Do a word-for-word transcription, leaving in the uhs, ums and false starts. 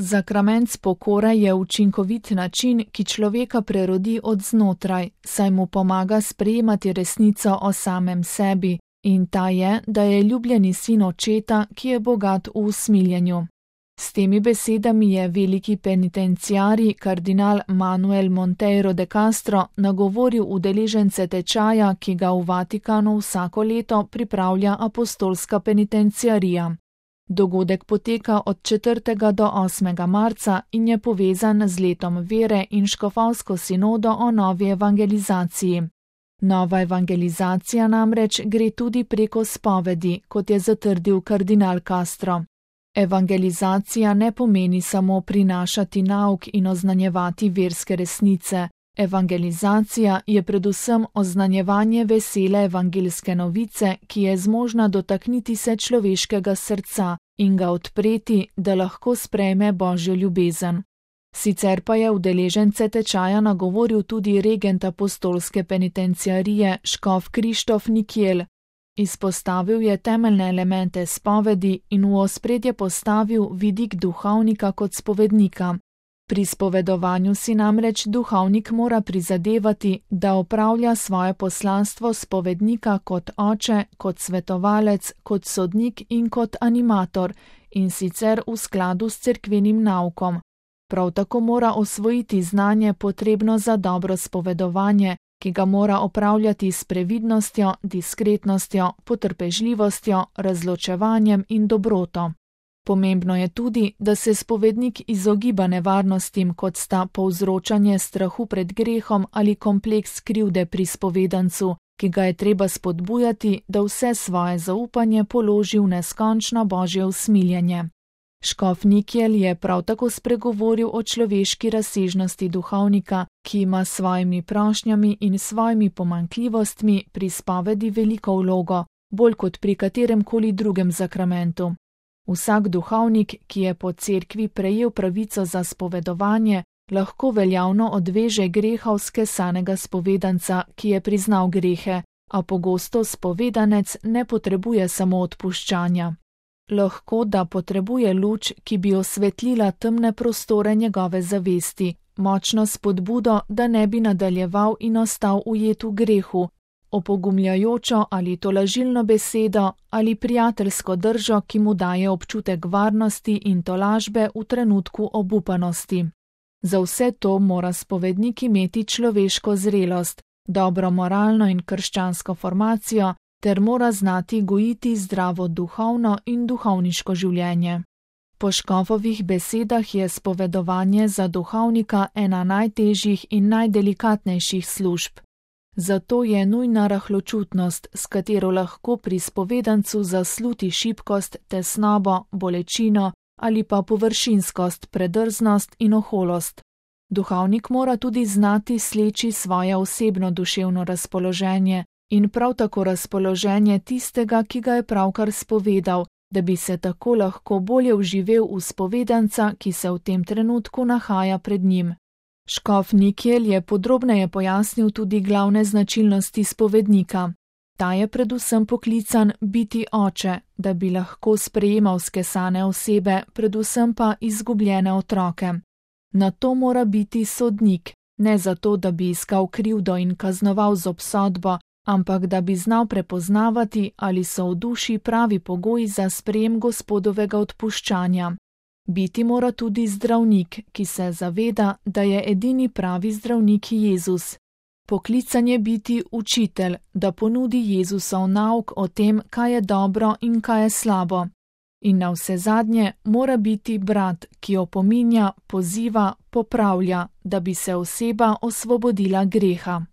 Zakrament pokore je učinkovit način, ki človeka prerodi od znotraj, saj mu pomaga sprejemati resnico o samem sebi, in ta je, da je ljubljeni sin očeta, ki je bogat v usmiljenju. S temi besedami je veliki penitenciari kardinal Manuel Monteiro de Castro nagovoril udeležence tečaja, ki ga v Vatikanu vsako leto pripravlja apostolska penitenciarija. Dogodek poteka od četrtega do osmega marca in je povezan z letom vere in škofovsko sinodo o novi evangelizaciji. Nova evangelizacija namreč gre tudi preko spovedi, kot je zatrdil kardinal Castro. Evangelizacija ne pomeni samo prinašati nauk in oznanjevati verske resnice. Evangelizacija je predvsem oznanjevanje vesele evangelske novice, ki je zmožna dotakniti se človeškega srca in ga odpreti, da lahko sprejme Božjo ljubezen. Sicer pa je udeležence tečaja nagovoril tudi regent apostolske penitenciarije škof Krištof Nikjel. Izpostavil je temeljne elemente spovedi in v ospredje postavil vidik duhovnika kot spovednika. Pri spovedovanju si namreč duhovnik mora prizadevati, da opravlja svoje poslanstvo spovednika kot oče, kot svetovalec, kot sodnik in kot animator, in sicer v skladu s cerkvenim naukom. Prav tako mora osvojiti znanje potrebno za dobro spovedovanje, ki ga mora opravljati s previdnostjo, diskretnostjo, potrpežljivostjo, razločevanjem in dobroto. Pomembno je tudi, da se spovednik izogiba nevarnostim, kot sta povzročanje strahu pred grehom ali kompleks krivde pri spovedancu, ki ga je treba spodbujati, da vse svoje zaupanje položi v neskončno Božje usmiljenje. Škof Nikjel je prav tako spregovoril o človeški razsežnosti duhovnika, ki ima s svojimi prošnjami in svojimi pomanjkljivostmi pri spovedi veliko vlogo, bolj kot pri kateremkoli drugem zakramentu. Vsak duhovnik, ki je po cerkvi prejel pravico za spovedovanje, lahko veljavno odveže greha vzkesanega spovedanca, ki je priznal grehe, a pogosto spovedanec ne potrebuje samo odpuščanja. Lahko da potrebuje luč, ki bi osvetlila temne prostore njegove zavesti, močno spodbudo, da ne bi nadaljeval in ostal ujet v grehu, opogumljajočo ali tolažilno besedo ali prijateljsko držo, ki mu daje občutek varnosti in tolažbe v trenutku obupanosti. Za vse to mora spovednik imeti človeško zrelost, dobro moralno in krščansko formacijo, ter mora znati gojiti zdravo duhovno in duhovniško življenje. Po škofovih besedah je spovedovanje za duhovnika ena najtežjih in najdelikatnejših služb. Zato je nujna rahločutnost, s katero lahko pri spovedancu zasluti šibkost, tesnobo, bolečino ali pa površinskost, predrznost in oholost. Duhovnik mora tudi znati sleči svoje osebno duševno razpoloženje in prav tako razpoloženje tistega, ki ga je pravkar spovedal, da bi se tako lahko bolje vživel v spovedanca, ki se v tem trenutku nahaja pred njim. Škof Nikjel je podrobneje pojasnil tudi glavne značilnosti spovednika. Ta je predvsem poklican biti oče, da bi lahko sprejemal skesane osebe, predvsem pa izgubljene otroke. Na to mora biti sodnik, ne zato, da bi iskal krivdo in kaznoval z obsodbo, ampak da bi znal prepoznavati, ali so v duši pravi pogoji za sprejem Gospodovega odpuščanja. Biti mora tudi zdravnik, ki se zaveda, da je edini pravi zdravnik Jezus. Poklican je biti učitelj, da ponudi Jezusov nauk o tem, kaj je dobro in kaj je slabo. In navsezadnje mora biti brat, ki opominja, poziva, popravlja, da bi se oseba osvobodila greha.